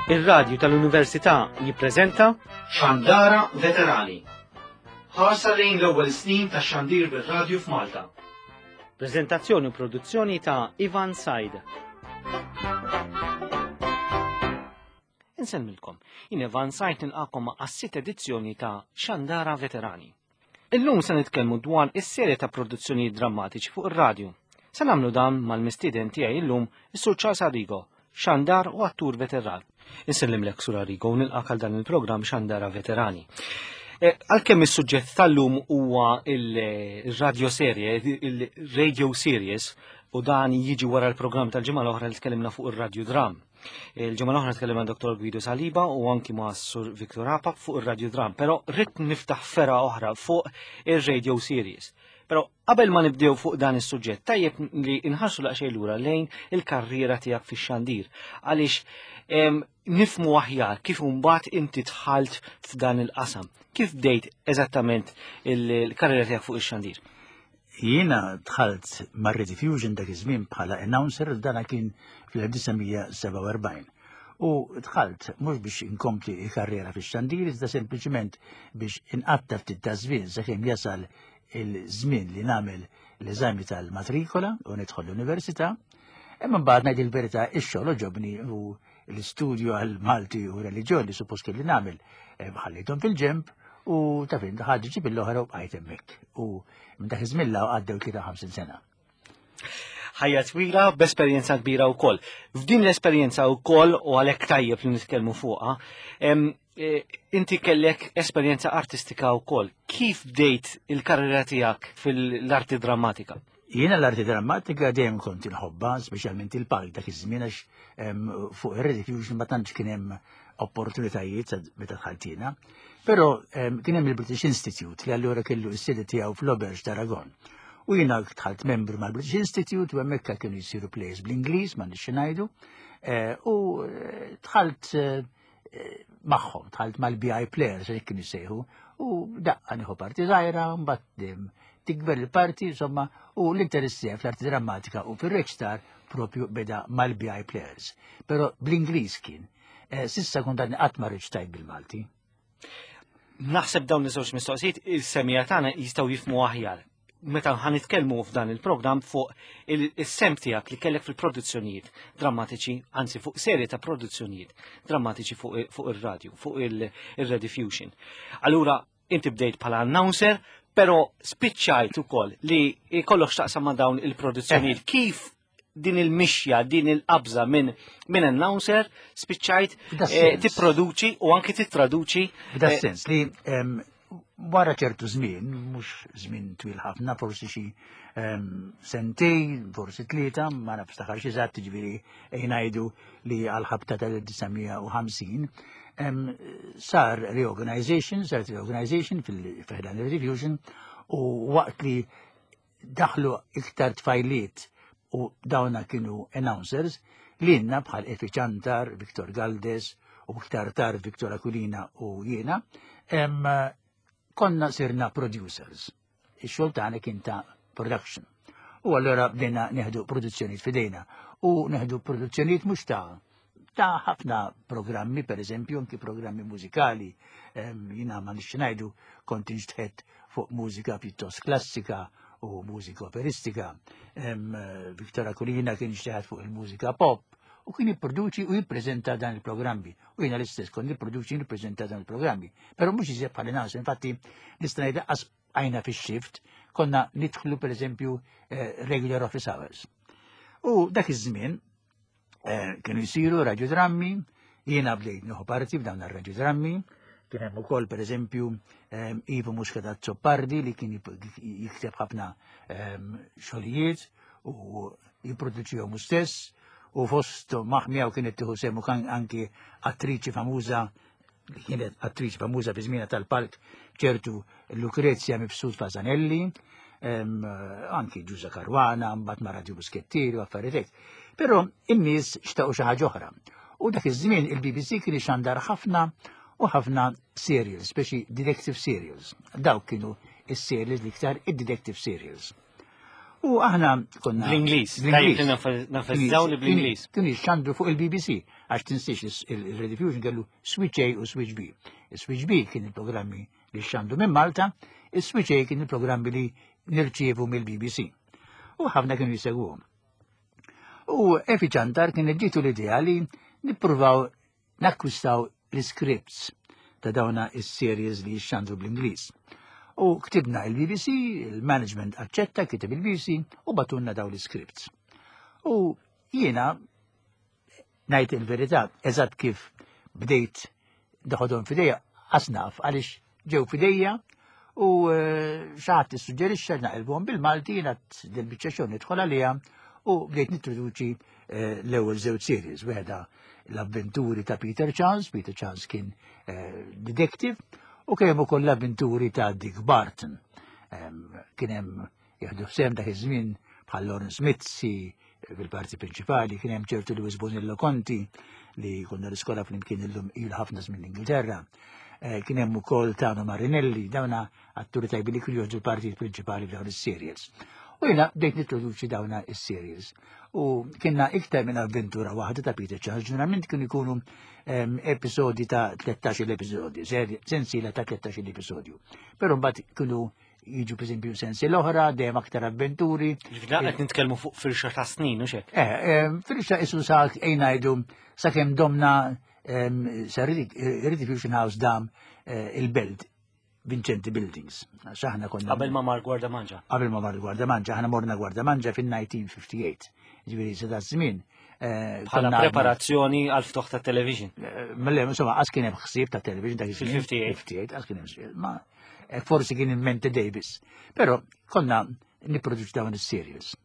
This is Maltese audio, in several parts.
Ir-radju tal-Università jippreżenta Xandara Veterani. Ħarsa lejn l-ewwel snin ta' xandir bir-radju f'Malta. Preżentazzjoni u produzzjoni ta' Ivan Said. Insemmilkom, jien Ivan Said nilqakom ma' sitt edizzjoni ta' Xandara Veterani. Illum se nitkellmu dwar is-serje ta' produzzjonijiet drammatiċi fuq ir-radju. Se nagħmlu dan mal-mistieden tiegħi illum, is-Sur Charles Arrigo, xandar u attur veteran. Insellimlek Sur Arrigo u nilqak għal dan il-programm Xandara Veterani. Eh, għalkemm is-suġġett tal-lum huwa il-radio serje, il-radio series, u dan jiġi wara l-programm tal-ġimgħa l-oħra li tkellimna fuq ir-radio dram. Il-ġimgħa l-oħra tkellimna Dr. Guido Saliba u anki ma' Sur Victor Apa fuq ir-Radio Dram, però rrid niftaħ fera oħra fuq ir-radio series. Però qabel ma nibdew fuq dan is-suġġett, tajjeb li nħarsu laqxej lura lejn il-karriera tiegħek fix-xandir. Għaliex nifmu aħjar kif imbagħad inti dħalt f'dan il-qasam. Kif bdejt eżattament il-karriera tiegħek fuq ix-xandir? Jiena dħalt mar-Rediffusion dak iż-żmien bħala announcer dana kien fl-1947. U dħalt mhux biex inkompli l-karriera fix-xandir iżda sempliċiment biex inqatta' ftit ta' żmien sakemm jasal il-żmien li nagħmel l-eżami tal-matrikola u nidħol l-università. Imma mbagħad ngħid il-verità ix-xogħol oġobni u l-istudju għal Malti u reliġjon li suppost kelli nagħmel eh, ħallejthom fil-ġemp u ta' fin ħaġa ġib l-oħra u bqajt hemmhekk. U minn dak iż-żmien law għaddew 53 sena. Ħajja twila b'esperjenza kbira wkoll. F'din l-esperjenza wkoll u għalhekk tajjeb li nitkellmu fuqha, e, inti kellek esperjenza artistika wkoll. Kif bdejt il-karriera tiegħek fil-arti drammatika? Jiena l-arti drammatika dejjem kont inħobbha, speċjalment il-palk dak iż-żmien għax fuq ir-Rediffusion ma tantx kien hemm opportunitajiet meta dħalt jiena. Però kien hemm il-British Institute li allura kellu s-sede tiegħu fl-Auberge d'Aragon. U jiena dħalt membru mal-British Institute u hemmhekk kienu jsiru plays bl-Ingliż ma nixxi ngħidu. Eh, u eh, dħalt eh, magħhom, dħalt mal-BI players, hekk kienu jsejħu, u daqqa nieħu parti żgħira, mbagħad tikber il-parti, insomma, u l-interess tiegħi fl-arti drammatika u fir-reċtar propju beda mal-BI players. Però bl-Ingliż kien. Eh, sissa kont għadni qatt ma reċtajt bil-Malti. Naħseb dawn iż-żewġ mistoqsijiet il-semija tagħna jistgħu jifmu aħjar meta ħan nitkellmu f'dan il-programm fuq il-sem tiegħek li kellek fil-produzzjonijiet drammatiċi, anzi fuq serje ta' produzzjonijiet drammatiċi fuq ir-radju, fuq il-Rediffusion. Allura, inti bdejt bħala announcer, però spiċċajt ukoll li jkollok x'taqsam ma' dawn il-produzzjonijiet. Eh. Kif din il-mixja, din il-qabża minn min announcer spiċċajt eh, tipproduċi u anki tittraduċi. F'da eh, sens li wara ċertu żmien, mhux żmien twil ħafna, forsi xi sentej, forsi tlieta, ma nafx taħar xi żatt ġifieri ngħidu li għal-ħabta tal-1950, sar reorganization, sar reorganization fil-ħdan il-Refusion u waqt li daħlu iktar tfajliet u dawna kienu announcers li jenna bħal Efi Ċantar, Viktor Galdes u iktar tard Viktor Aquilina u jiena, konna sirna producers. Ix-xogħol tagħna kien ta' production. U allura bdejna neħdu produzzjonijiet fidejna u neħdu produzzjonijiet mhux ta' ta' ħafna programmi, per eżempju, anki programmi mużikali, jina ma nix ngħidu kont inxtħet fuq mużika pjuttost klassika u mużika operistika. Viktor Akulina kien inxtħet fuq il-mużika pop u kien jipproduċi u jippreżenta dan il-programmi. U jiena l-istess kont nipproduċi u nippreżenta dan il-programmi. Però mhux iżjed bħal nas, infatti nista' ngħid qas għajna fix-shift, konna nidħlu per eżempju eh, regular office hours. U dak iż-żmien Eh, kienu jsiru radjodrammi, jiena bdejt nieħu parti f'dawn ir-radjodrammi, kien hemm ukoll pereżempju eh, Ivo Muscat Azzopardi li kien jikteb ħafna eh, xogħlijiet u jipproduċihom hu stess u fost maħmijaw kienet tieħu semu anki attriċi famuża li kienet attriċi famuża fi żmienha tal-palk ċertu Lucrezia Mifsud Fasanelli, anki Ġuża Karwana, mbagħad ma' Radio Buskettieri u affarijiet hekk. Però in-nies xtaqu xi ħaġa oħra. U dak iż-żmien il-BBC kien ixandar ħafna u ħafna serials, speċi detective serials. Dawk kienu is-serials l-iktar id-detective serials. U aħna konna. Bl-Ingliż. Bl-Ingliż. Nafazzaw li bl-Ingliż. Kienu jxandru fuq il-BBC. Għax tinsiex il-Rediffusion kellu Switch A u Switch B. Switch B kien il-programmi li xandu minn Malta, il-Switch A kien il-programmi li nirċievu mill-BBC. U ħafna kienu jisegwuhom. U Efi Ċantar kien ġitu l-idea li nippruvaw nakkwistaw l-scripts ta' dawna is-series li xandru bl-Ingliż. U ktibna il-BBC, il-management aċċetta, kiteb il-BBC u batunna daw l-scripts. U jiena ngħid il-verità, eżatt kif bdejt daħodhom fidejja, asnaf għaliex ġew fidejja u eh, xaħat tissuġġerixxa naqilbuhom bil-Malti jiena dil-biċċa xogħol nidħol għaliha u bdejt nintroduċi eh, l-ewwel żewġ series, wieħda l-avventuri ta' Peter Chance, Peter Chance kien eh, detective, u kien hemm ukoll l-avventuri ta' Dick Barton. Kien hemm jieħdu sehem dak iż-żmien bħal Lawrence Mizzi fil-parti prinċipali, kien hemm ċertu Louis Bonillo Conti li konna l-iskola flimkien illum il ħafna żmien l-Ingilterra. Eh, kien hemm ukoll Tano Marinelli, dawna atturi tajbi li kienu joħdu l-partijiet prinċipali f'dawn is-serials. U jiena bdejt nintroduċi dawna is-serials. U kienna iktar minn avventura waħda ta' Peter Charles, ġeneralment kienu jkunu ehm, episodi ta' 13 episodju, sensiela ta' 13 episodju. Però mbagħad kienu jiġu per esempio sensi l-oħra, dejjem aktar avventuri. Ġifieri qed nitkellmu fuq firxa ta' snin, u xek? Eh, eh, firxa isu sa' ngħidu sakemm domna ehm, sa' Rediffusion House dam eh, il-belt Vincenti Buildings. Xaħna konna. Qabel ma mar Gwarda Manġa. Qabel ma mar Gwarda Manġa, aħna morna Gwarda Manġa fin-1958. Ġifieri sa da żmien. Eh, Bħala preparazzjoni għal ftuħ ta' television. Mela, insomma, għas kien hemm ħsieb ta' television dak iż-żmien. Fil-58. Għas kien hemm ma eh, forsi kien in-mente Davis. Però konna nipproduċi dawn is-serials.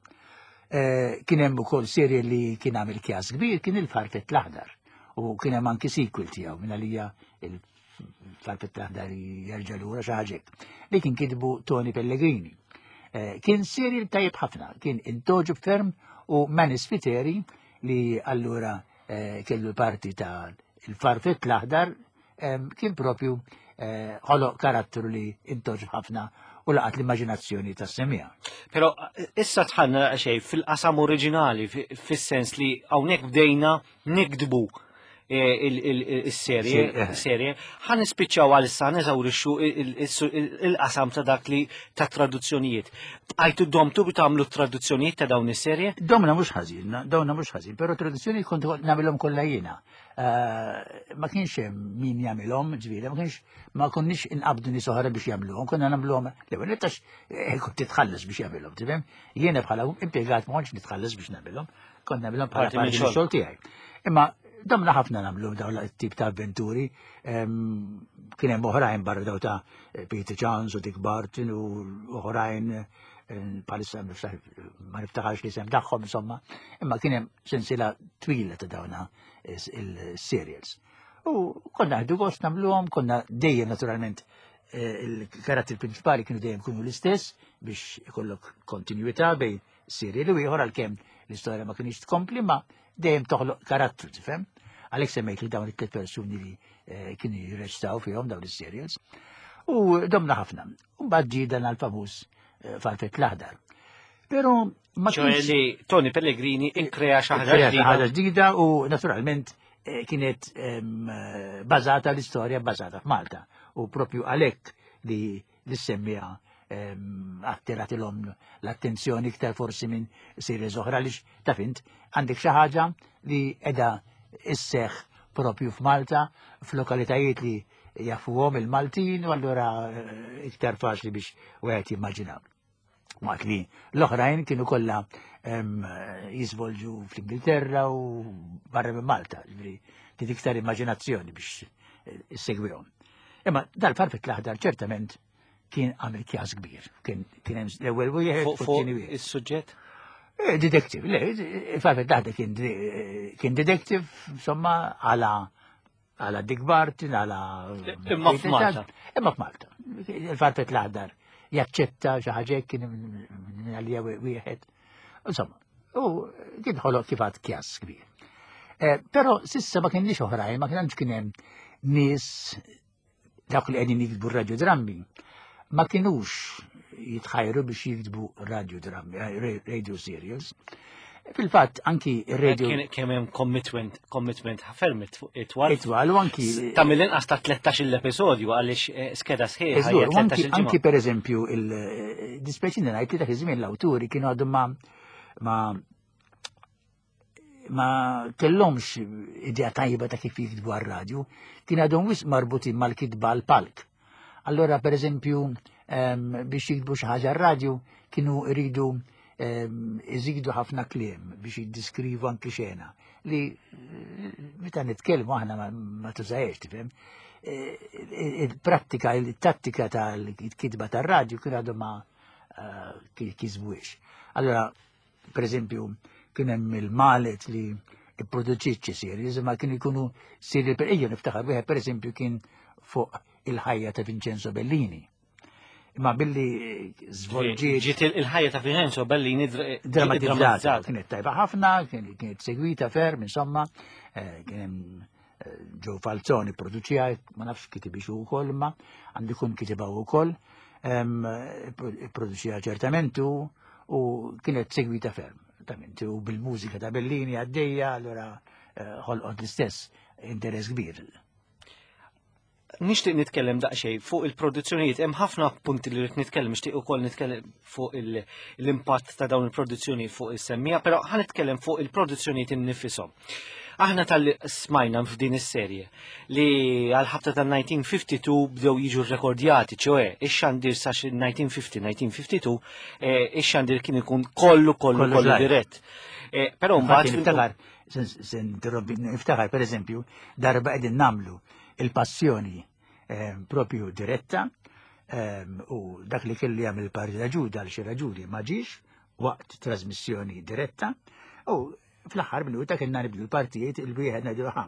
Eh, kien hemm ukoll serje li kien għamil kjas kbir kien il-Farfett l-Aħdar u kien hemm anki sequel tiegħu minn għalija il-Farfett l-Aħdar jerġa' lura xi ħaġa li kien kitbu Tony Pellegrini. Eh, kien serial tajjeb ħafna, kien intoġu ferm u Manny Spiteri li allura kellu l-parti ta' il-Farfett l-Aħdar kien propju eh, ħoloq karattru li intoġ ħafna u laqat l-immaġinazzjoni tas semija. Pero eh, issa tħanna xej fil-qasam oriġinali, fis-sens li hawnhekk bdejna nikdbu eh, il-serje, serje, ħan nispiċċaw għal issa neżawrixxu il-qasam ta' dak li ta' traduzzjonijiet. Bqajtu domtu bi tagħmlu traduzzjonijiet ta' dawn is-serje? Domna mhux ħażin, domna mhux ħażin, però traduzzjoni kont nagħmilhom kollha jiena. Eh, ma kienx hemm min jagħmilhom, ġifieri, ma kienx ma konniex inqabdu nies oħra biex jagħmluhom, konna nagħmluhom l-ewwel tax eh, kont titħallas biex jagħmilhom, tifhem? Jiena bħala impjegat ma kontx nitħallas biex nagħmilhom, kont nagħmilhom bħala parti mix-xogħol tiegħi. Imma domna ħafna nagħmlu dawn it-tip ta' avventuri, kien hemm oħrajn barra daw ta' Peter Chance u Dick Barton u oħrajn palissa ma niftaħarx li sem tagħhom insomma, imma kien hemm sensiela twila ta' dawna il-serials. U konna ħdu gost nagħmluhom, konna dejjem naturalment eh, il-karatteri prinċipali kienu dejjem kunu l-istess biex ikollok kontinuità bejn serial u ieħor għalkemm l-istorja ma kienx tkompli ma dejjem toħloq karattru, tifhem? Għalhekk semmejt li dawn it-tliet persuni li eh, kienu jirreċtaw fihom dawn is-serials. U domna ħafna. U mbagħad ġie dan għal-famuż eh, Farfett l-aħdar. Pero ma kienx li Tony Pellegrini ikkrea xi ħaġa ġdida u naturalment eh, kienet ehm, bażata l-istorja bażata f'Malta u propju għalhekk li l-semmija ehm, attirat l-om l-attenzjoni iktar forsi minn series oħra li taf int għandek xi ħaġa li edha isseħ propju f'Malta f'lokalitajiet li jafuhom il-Maltin u allura eh, iktar faċli biex wieħed jimmaġina. Waqt li l-oħrajn kienu kollha jiżvolġu fl-Ingilterra u barra minn Malta, ġifieri trid iktar immaġinazzjoni biex eh, issegwihom. Imma dal-farfet l-aħdar ċertament kien għamil kjas kbir. Kien hemm l-ewwel wieħed u t-tieni wieħed. Is-suġġett? Eh, detective, le, il-farfet l-aħdar kien detective, insomma, għala għala Dick Barton, għala. Imma f'Malta. Imma f'Malta. Il-farfet l-aħdar jaċċetta xi ħaġa kien minn għalija wieħed. Insomma, u kien ħoloq kif għad kjas kbir. Eh, però sissa ma kienx oħrajn, ma kienx kien hemm nies dawk li qegħdin jiktbu radiodrammi ma kienux jitħajru biex jiktbu radiodrammi, eh, radio serials. Fil-fatt anki ir-radio. Kien hemm commitment, commitment ferm itwal. Itwal u anki. Ta' mill-inqas ta' 13 l-episodju għaliex eh, skeda sħiħa. Anki, anki per eżempju il-dispeċini eh, ngħid li dak iż-żmien l-awturi kienu għadhom ma ma ma kellhomx idea tajba ta' kif jiktbu għar-radju, kien għadhom wisq marbutin mal-kitba għal-palk. Allora, per eżempju, biex jiktbu xi ħaġa r-radju kienu jridu iżidu ħafna kliem biex jiddiskrivu anki xena li eh, meta nitkellmu aħna ma tużajx, tifhem. Eh, il-prattika, il-tattika tal-kitba tar-radju kien għadu ma eh, kisbuhiex. Allora, Per eżempju, kien hemm il-Malet li ipproduċiet xi series, imma kienu jkunu serji per ejja niftakar wieħed pereżempju kien fuq il-ħajja ta' Vincenzo Bellini. Imma billi żvolġiet. Ġiet il-ħajja ta' Vincenzo Bellini drammatizzata. Kienet tajba ħafna, kienet segwita ferm, insomma, eh, kien hemm eh, Joe Falzoni produċija, ma nafx kitibix ukoll, imma għandu jkun kitibha wkoll, produċija ċertament u kienet segwita ferm. Tament, u bil-mużika ta' Bellini għaddejja, allura eh, ħolqot l-istess interess kbir. Nixtieq nitkellem daqsxejn fuq il-produzzjonijiet, hemm ħafna punti li rrid nitkellem, nixtieq ukoll nitkellem fuq l-impatt ta' dawn il-produzzjoni fuq is-semmija, però ħa nitkellem fuq il-produzzjonijiet innifisom. Aħna tal smajna f'din is-serje li għal-ħabta tal-1952 bdew jiġu rrekordjati, ċoe, ix-xandir sa 1950-1952, eh, ix-xandir kien ikun kollu kollu kollu dirett. Eh, però mbagħad niftakar, niftakar pereżempju, darba qegħdin namlu il-passjoni eh, propju diretta u dak li kelli jagħmel il-parti ta' ġuda għal xi raġuni ma ġiex waqt trasmissjoni diretta u Fl-aħħar minuta kellna nibdu l-partijiet il-wieħed ngħidu ħa,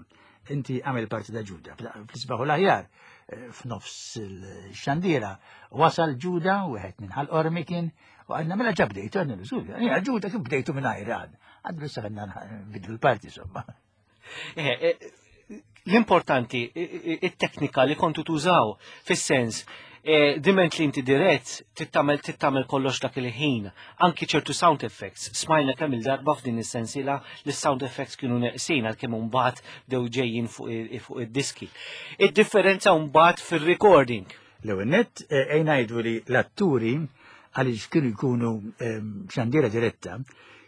inti għamel parti ta' Ġuda. Fl-isbaħ u l-aħjar, eh, f'nofs il-xandira, wasal Ġuda, wieħed minn ħal qormi kien, u għadna mela ġa bdejtu, għadna l-użul, Ġuda kif bdejtu minn għajr għad. Għadna issa għadna nbidlu l-parti, insomma. Eh, eh, l-importanti, it-teknika li kontu tużaw, fis-sens, eh, diment li inti dirett tittamel tittamel kollox dak il-ħin, anki ċertu sound effects. Smajna kemm il-darba f'din is-sensiela li sound effects kienu neqsin għalkemm imbagħad bdew ġejjin fuq id-diski. Id-differenza mbagħad fir-recording. L-ewwel nett eh, ejn ngħidu li l-atturi għaliex kienu jkunu ehm, xandiera diretta,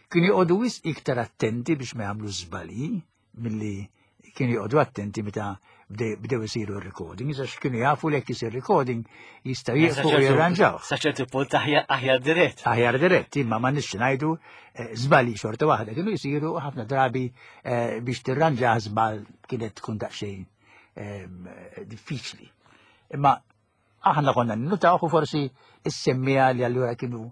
kienu joqogħdu wisq iktar attenti biex ma jagħmlu żbalji milli kienu joqogħdu attenti meta bdew isiru r-recording, għax kienu jafu li jekk isir recording jistgħu jieqfu u jirranġaw. Sa ċertu punt aħjar dirett. Aħjar dirett, imma ma nix ngħidu eh, żbalji xorta waħda kienu jsiru ħafna drabi eh, biex tirranġa żball kienet tkun daqsxejn ehm, diffiċli. Imma Aħna konna ninnutaw u forsi is-semmiegħa li allura kienu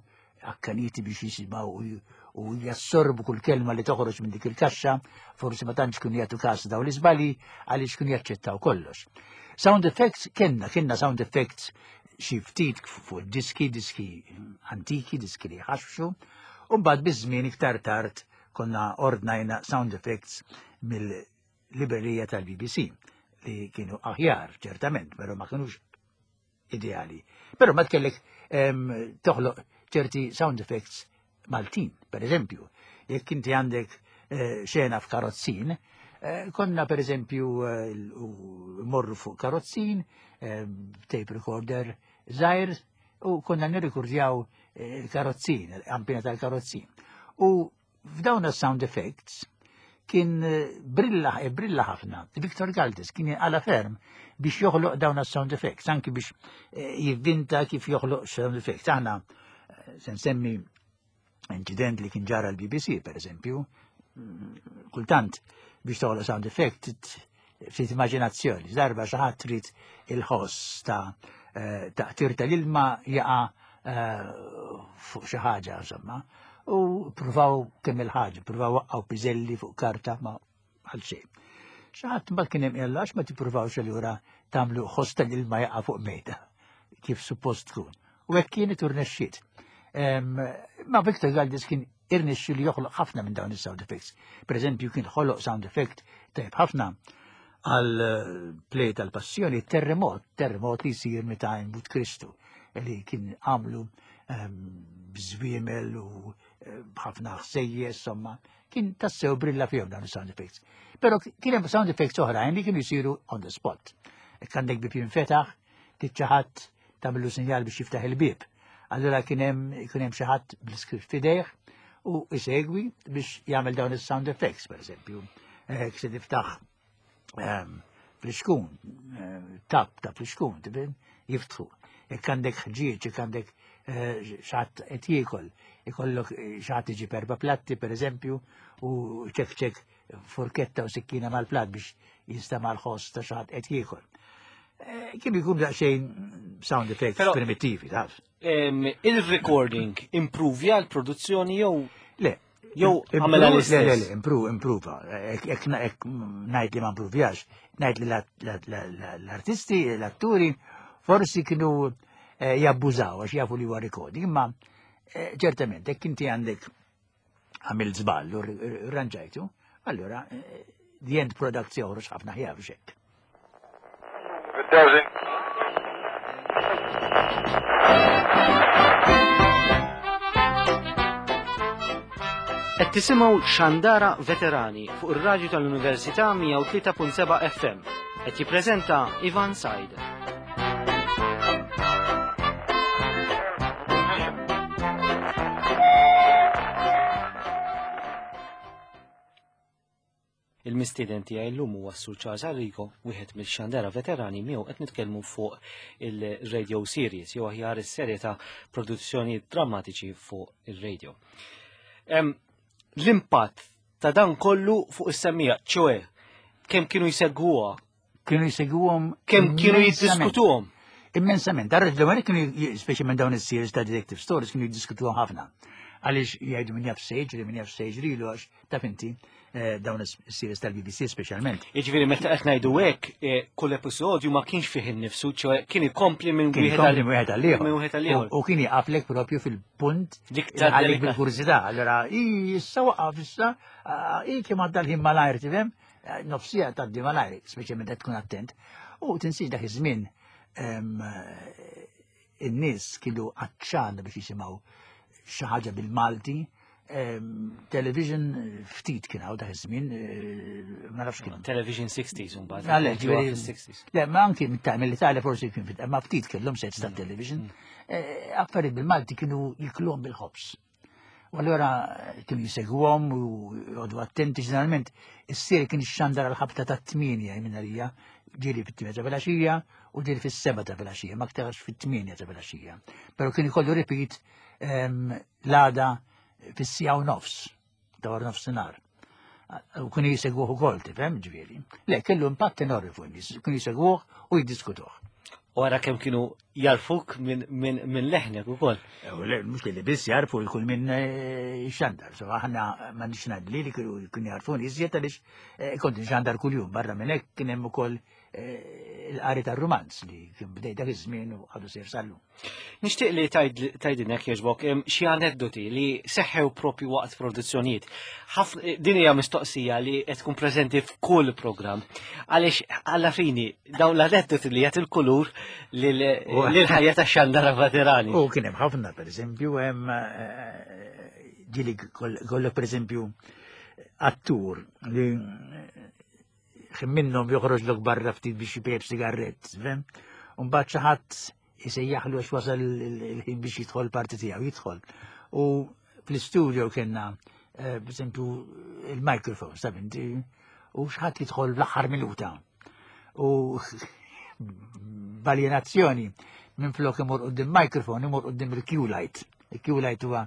akkaniti biex jisimgħu u jassorbu kull kelma li toħroġ minn dik il-kaxxa, forsi ma tantx kienu jagħtu każ dawn l-iżbalji għaliex kienu jaċċettaw kollox. Sound effects kenna, kenna sound effects xi ftit fuq diski, diski antiki, diski li ħaxxu, u mbagħad biż-żmien iktar tard konna ordnajna sound effects mill librerija tal-BBC li kienu aħjar, ċertament, pero ma kienux ideali. Pero ma tkellek toħloq ċerti sound effects Maltin, per eżempju, jekk inti għandek eh, xena f'karozzin, eh, konna per eżempju eh, morru fuq karozzin, tape recorder zaħir, u konna nirrikordjaw il-karozzin, il-kampina tal-karozzin. U F'dawn is-sound effects kien eh, brilla, eh, brilla ħafna. Victor Galdes kien għala ferm biex joħloq dawn is-sound effects, anki biex eh, jivvinta kif joħloq sound effects. Aħna se nsemmi incident li kien ġara l-BBC, per eżempju, mm, kultant biex toħloq sound effect ftit immaġinazzjoni. Darba xi ħadd trid il-ħoss ta' eh, taqtir tal-ilma jaqa' eh, fuq xi ħaġa insomma. U pruvaw kemm il-ħaġa, pruvaw waqqgħu piżelli fuq karta ma għal xejn. Xi ħadd mbagħad kien hemm għax ma tippruvawx allura tagħmlu ħoss tal-ilma jaqa' fuq mejda kif suppost tkun. U hekk kienet u rnexxiet. Ma Victor Galdis kien irnexxi li joħloq ħafna minn dawn is-sound effects. Per eżempju, kien ħoloq sound effect tajb ħafna għal eh, play tal-passjoni terremot, terremot li jsir meta jmut Kristu, li kien għamlu ehm, bżwiemel u b'ħafna ħsejjes, somma, kien tassew brilla fihom dawn sound effects. Però kien hemm sound effects oħrajn li kienu jsiru on the spot. Jekk għandek bib jinfetaħ, tiċċaħat tagħmlu sinjal biex jiftaħ il-bib. Allura kien hemm kien hemm xi ħadd bl-iskript f'idejh u isegwi biex jagħmel dawn is-sound effects, per eżempju. Eh, se tiftaħ ehm, flixkun, eh, tap ta' flixkun, tibin, jiftħu. Jekk għandek ħġieġ, jekk għandek eh, xatt qed jiekol, ikollok xatt iġib erba' platti, per eżempju, u ċek ċek forketta u sikkina mal-plat biex jinstema' l-ħoss ta' xatt qed jiekol. Kien jkun daqsxejn sound effects primittivi, taf. Il-recording improvja l-produzzjoni jew Le. Jew għamela l-istess? Le, le, improva. Ek ngħid li ma improvjax, ngħid li l-artisti, l-atturi, forsi kienu eh, jabbużaw għax jafu li huwa recording, imma eh, ċertament, jekk inti għandek għamil żball u rranġajtu, allura eh, the end product joħroġ ħafna ħjar xek. Qed tisimgħu Xandara Veterani fuq ir-radju tal-Università 103.7 FM. Qed jippreżenta Ivan Said. Il-mistieden tiegħi llum huwa s-Sur Charles Arrigo, wieħed mill-xandara veterani miegħu qed nitkellmu fuq il-radio series jew aħjar is-serje ta' produzzjoni drammatiċi fuq ir-radio. L-impatt ta' dan kollu fuq is-semmija, ċoe kemm kienu jsegwuha Kienu jsegwuhom kemm kienu jiddiskutuhom. Immensament. Darra l kienu speċi minn dawn is-series ta' detective stories kienu jiddiskutuhom ħafna. Għaliex jgħidu min jaf sejġri, min jaf sejġri lu għax taf inti eh, dawn is-series tal-BBC speċjalment. Jiġifieri meta qed ngħidu hekk, eh, kull episodju ma kienx fih innifsu, ċoe kien ikompli minn wieħed għal ieħor. U kien jaqaflek propju fil-punt għalik bil-kurżità. Allora, issa waqaf issa, ah, i kemm għadda l-ħin malajr tifhem? Eh, nofsija tgħaddi malajr, speċi meta tkun attent. U tinsiex dak iż-żmien eh, in-nies kienu għatxan biex jisimgħu xi ħaġa bil-Malti, television ftit kien hawn dak iż-żmien, eh, ma nafx kien. Television 60s mbagħad. Le, ma anki mill-Italja forsi kien fit, ma ftit kellhom sets ta' television. Affarijiet bil-Malti kienu jiklhom bil-ħobs. U allura kienu jisegwhom u jgħodu attenti ġeneralment is-sir kien ixxandar għal ħabta ta' tmienja minn għalija, ġieli fit-tmienja ta' filgħaxija u ġieli fis-seba ta' filgħaxija, ma aktarx fit-tmienja ta' filgħaxija. Però kien ikollu repeat ehm, l-għada fis-sija u nofs. ta' wara nofsinhar. U kienu jisegwuh ukoll, tifhem, ġifieri. Le, kellu impatt enormi fuq in-nies, kienu jisegwuh u jiddiskutuh. U għara kemm kienu jarfuk minn leħnek ukoll. Eh, le, mhux li biss jarfu jkun minn eh, xandar. So aħna ma nix ngħid li kienu jarfuni iżjed għaliex eh, kont nxandar kuljum barra minn hekk kien hemm ukoll il-qari tar-rumanz li kien bdej dak iż-żmien u għadu sejr sal-lum. Nixtieq li tgħidilna jogħġbok xi aneddoti li seħħew propju waqt produzzjonijiet. Din hija mistoqsija li qed tkun preżenti f'kull programm. Għaliex alla fini dawn l-aneddoti li jagħti l-kulur lill-ħajja tax-xandara veterani. U kien hemm ħafna pereżempju hemm eh, ġieli kollok pereżempju attur li Xi minnhom joħroġlok barra ftit biex jpejjep sigarrett, fhem? U mbagħad xi ħadd isejjaħlu għax wasal il-ħin biex jidħol parti tiegħu, jidħol. U fl-istudio kellna, eh, per esempio, il-microphone, sab inti, u xħat jidħol fl-aħħar minuta. U baljenazzjoni minn flok imur qudiem microphone, imur qudiem il-Q-light. Il-Q-light huwa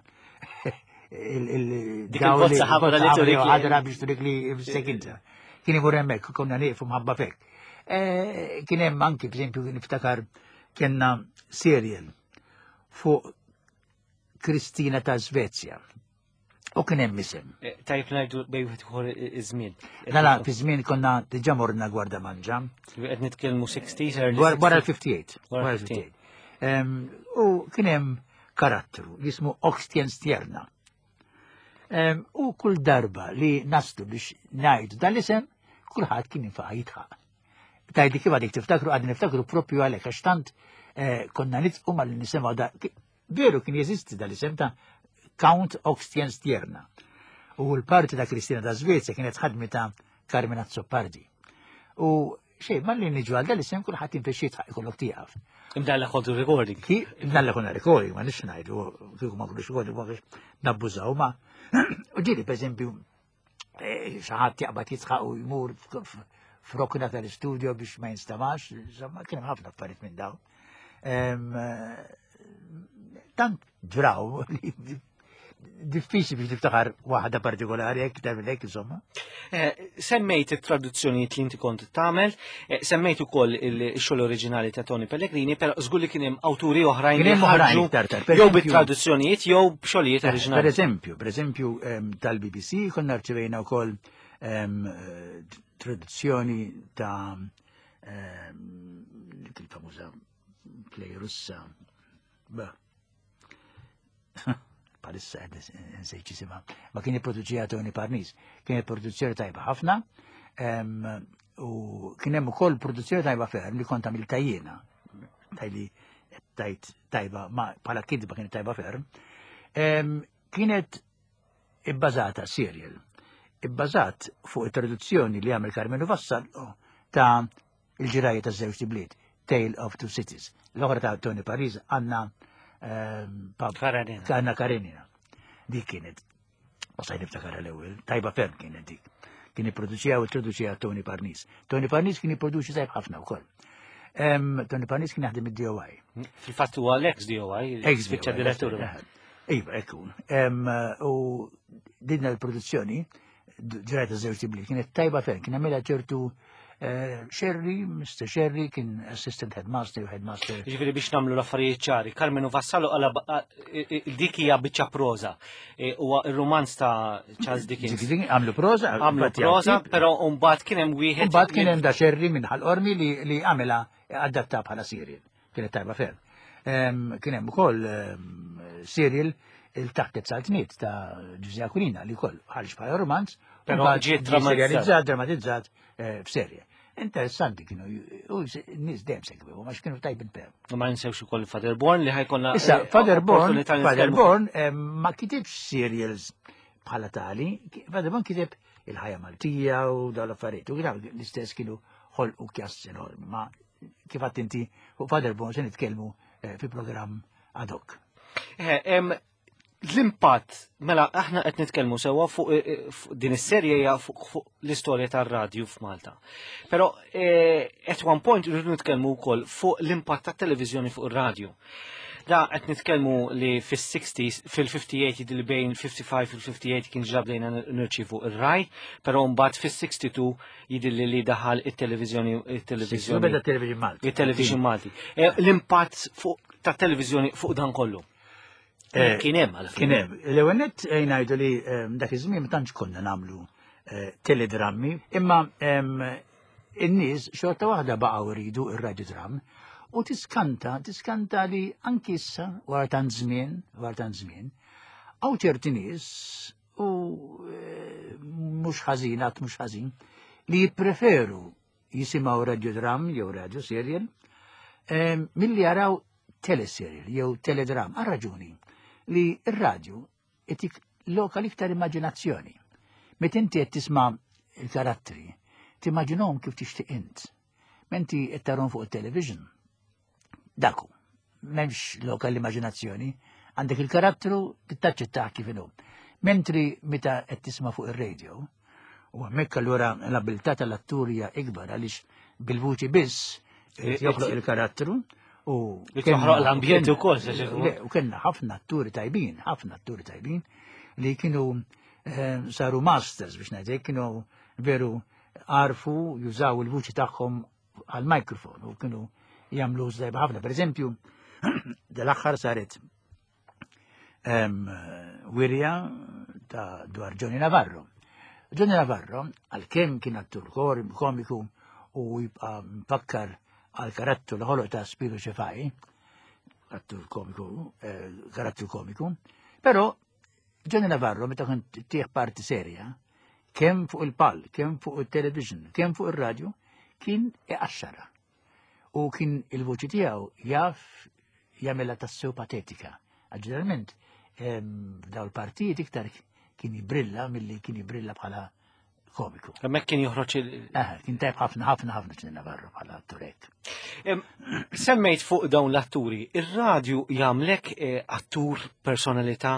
il-dawl li ħabra li turik ħadra biex turik li sekinta. Kien imur hemmhekk, konna nieqfu mħabba fek. Eh, kien hemm anki, b'eżempju, niftakar kienna serial fuq Kristina ta' Svezja. U kien hemm isem. Eh, tajb ngħidu bej wieħed ieħor iż-żmien. Mela, fi żmien konna diġà morna Gwarda Manġa. Qed nitkellmu 60s, early Wara l-58. Wara l-58. U kien hemm karattru jismu Oxtien Stjerna. U kull darba li naslu biex ngħidu dal-isem, kulħadd kien jinfaqa jitħaq. Tajdi kif għadik tiftakru, għadni niftakru propju għalek, għax tant eh, konna nitqu mal nisimgħu da. Veru kien jeżisti dal-isem ta' Count Oxenstierna. U l-parti ta' Kristina ta' Svezja kienet ħadmita Carmen Azzopardi. U xejn, malli niġu għal dal-isem kulħadd jinfexx jidħaq ikollok tieqaf. Imdalla kontu recording. Ki, imdalla konna recording, ma nix ngħidu, kieku ma kunux recording, ma kienx nabbużaw, ma. U ġieli, per eżempju, eh, xi ħadd jaqbad jidħaq u jmur f'rokna tal-istudio biex ma jinstamax, insomma, kien hemm ħafna affarijiet minn dawn. Eh, tant ġraw li diffiċli biex tiftakar waħda partikolari hekk tagħmel hekk insomma. Eh, semmejt it-traduzzjonijiet li inti kont tagħmel, eh, semmejt ukoll il-xogħol oriġinali ta' Tony Pellegrini, però żgur li kien hemm awturi oħrajn li ħarġu jew bit-traduzzjonijiet jew b'xogħlijiet eh, oriġinali. Per eżempju, per eżempju ehm, tal-BBC konna rċevejna wkoll ehm, traduzzjoni ta' ehm, dik il-famuża play Russa. Palissa qed nsejt jisimha. Ma kien ipproduċija Tony Parnis. Kien produzzjoni tajba ħafna. U kien hemm ukoll produzzjoni tajba ferm li kont għamilta jiena. Tajli tajt tajba, ma bħala kidba kienet tajba ferm. Kienet ibbażata serial. Ibbażat fuq it-traduzzjoni li għamel Carmenu Vassallo ta' Il-ġirajja ta' żewġ bliet, Tale of Two Cities. L-oħra ta' Tony Paris, Anna ehm, Karenina. Anna Karenina. Dik kienet. U saj niftakar l-ewwel, tajba ferm kienet dik. Kien ipproduċija u traduċija Tony Parnis. Tony Parnis kien jipproduċi tajb ħafna wkoll. Ehm, Tony Parnis kien jaħdem id-DOI. Fil-fatt huwa l-ex DOI, ex direttur. Eh, iva, ekku. Ehm, u dinna l-produzzjoni ġrajta żewġ tibli, kienet tajba ferm, kien għamilha ċertu eh, Sherry, Mr. Sherry, kien assistant headmaster u headmaster. Ġifieri biex nagħmlu l-affarijiet ċari, Carmenu Vassallo għala dik hija biċċa proża. E, huwa ir-romanz ta' Charles Dickens. Għamlu proża, għamlu proża, però mbagħad kien hemm wieħed. Mbagħad kien hemm da Sherry minn ħal-qormi li għamilha adatta bħala serial. Kienet tajba ferm. Kien hemm ukoll serial il-taħt saltniet ta' Ġużè Aquilina li wkoll ħarġ bħala romanz, però ġie drammatizzat drammatizzat eh, f'serje. Interessanti kienu, u nis dejjem segwew, ma kienu tajbin per. U ma ninsewx ukoll Father Born li ħajkonna. Issa, eh, Father Born, Father Born ma kitibx serials bħala tali, Father Born kiteb il-ħajja Maltija u dawn l-affarijiet. U l-istess kienu ħolqu kjass enormi, ma kif għadt inti fuq Father Bon se nitkellmu eh, fi programm ad hoc. Eh, l-impatt, mela aħna qed nitkellmu sewwa fuq eh, din is-serje hija fuq l-istorja tar-radju f'Malta. Però at one point irridu nitkellmu wkoll fuq l-impatt tat-televiżjoni fuq ir-radju. Da qed nitkellmu li fis-60s, fil-58 jidhi li bejn 55 u 58 kien ġab bdejna nirċievu ir-raj, però mbagħad fis-62 jidilli li daħal it-televiżjoni it-televiżjoni. Beda television Malti. Il-television Malti. Eh, l-impatt fuq ta' televiżjoni fuq dan kollu. Eh, kien hemm għal Kien hemm. L-ewwel nett eh, ngħidu li dak iż-żmien ma tantx konna nagħmlu teledrammi, imma in-nies xorta waħda baqgħu jridu ir-radiodram u tiskanta, tiskanta li anki issa wara tant żmien, wara tant żmien, hawn ċerti nies u eh, mhux ħażin, għad mhux ħażin, li jippreferu jisimgħu radiodram jew radio serial eh, milli jaraw teleserial jew teledram għal raġuni li r-radju itik lokal iktar immaġinazzjoni. Meta inti qed tisma' il-karattri, timmaġinhom kif tixtieq int. Menti qed tarhom fuq it-television, Daku, m'hemmx lokal l-immaġinazzjoni, għandek il-karattru tittaċċettah kif inhu. Mentri meta qed tisma' fuq ir-radio, u hemmhekk allura l-abilità tal-attur hija ikbar għaliex bil-vuċi biss joħloq il-karattru u joħloq l-ambjent ukoll. U kellna ħafna atturi tajbin, ħafna atturi tajbin li kienu eh, saru masters biex ngħidlek, kienu veru għarfu jużaw il-vuċi tagħhom għal-mikrofon u kienu jagħmlu żdajba ħafna. Per eżempju, dal-aħħar saret wirja ta' dwar Johnny Navarro. Johnny Navarro, għal-kem kien attur komiku u jibqa' mfakkar għal karattru li ħoloq ta' Spiru Ċefaj, attur komiku, eh, karattru komiku, però Johnny Navarro meta kien tieħ parti serja, kemm fuq il-pal, kemm fuq il-television, kemm fuq il-radio, kien iqaxxara. U kien il-voċi tiegħu jaf jagħmilha tassew patetika. Ġeneralment, F'daw il-partijiet iktar kien jibrilla milli kien jibrilla bħala komiku. Hemmhekk kien joħroġ il. Eh, kien tajb ħafna ħafna ħafna Ġnien Navarro bħala atturek. Semmejt fuq dawn l-atturi, ir-radju jagħmlek eh, attur personalità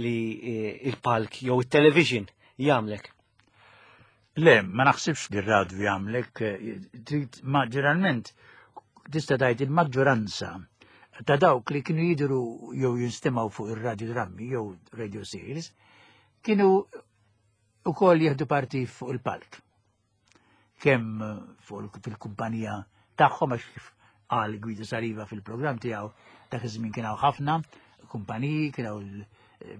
li eh, il-palk jew it-television jagħmlek. Le, ma naħsibx li r-radju jagħmlek, trid ma ġeneralment tista' tgħid il-maġġoranza ta' dawk li kienu jidhru jew jinstemgħu fuq ir-radju drammi jew radio series kienu ukoll jieħdu parti fuq il-palk. Kemm fuq fil-kumpanija tagħhom għax kif qal Guido Saliva fil-programm tiegħu dak iż-żmien kien hawn ħafna kumpaniji, kien hawn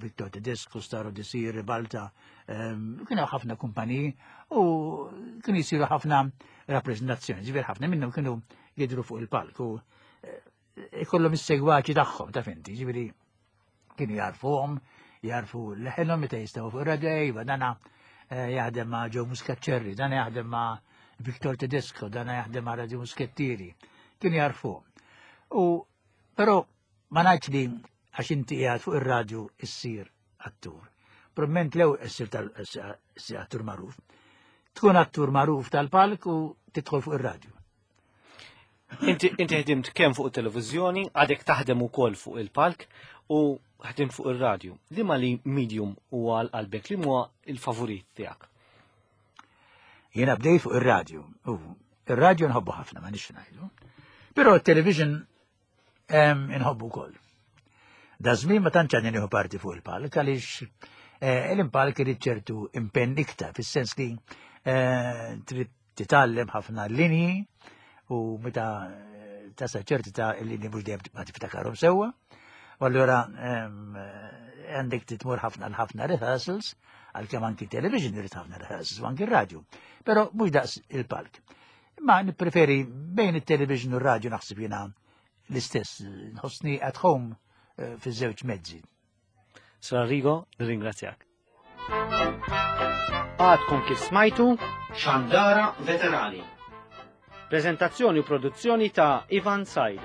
Victor Tedesco, Staro Desir, Ribalta, ehm, kien hawn ħafna kumpaniji u kienu jsiru ħafna rappreżentazzjoni, ġifier ħafna minnhom kienu jidhru fuq il-palk u eh, ikollhom is-segwaċi tagħhom ta' finti, ġifieri kienu jarfuhom, jarfu leħenhom meta jistgħu fuq ir-radio, iva dana eh, jaħdem ma' Joe Muscat dana jaħdem ma' Victor Tedesco, dana jaħdem ma' Radio Muskettieri, kienu jarfuhom. U però ma ngħidx li għax inti qiegħed fuq ir-radju issir attur. Probablement lew issir tal attur magħruf. Tkun attur magħruf tal-palk u tidħol fuq ir-radju. Inti ħdimt kemm fuq it-televiżjoni, għadek taħdem ukoll fuq il-palk u ħdimt fuq ir-radju. Liema li medium huwa għal qalbek li huwa il-favorit tiegħek? Jiena bdejt fuq ir-radju. U ir-radju nħobbu ħafna ma nix ngħidu. Però t-television inħobbu wkoll. Da żmien ma tantx għandi nieħu parti fuq il-palk għaliex eh, l-impalk irid ċertu impenn iktar fis-sens li eh, trid titgħallem ħafna linji u meta eh, tasal ċerti ta' l-linji mhux dejjem ma tiftakarhom sewwa. U allura għandek titmur ħafna l-ħafna rehearsals, għalkemm anki television irid ħafna rehearsals u anki radio. Però mhux daqs il-palk. Ma nippreferi bejn it-television u r-radio naħseb jiena l-istess, nħossni at home eh, fiż-żewġ mezzi. Sir Arrigo, nirringrazzjak. Għadkom kif smajtu Xandara Veterani. Prezentazzjoni u produzzjoni ta' Ivan Said.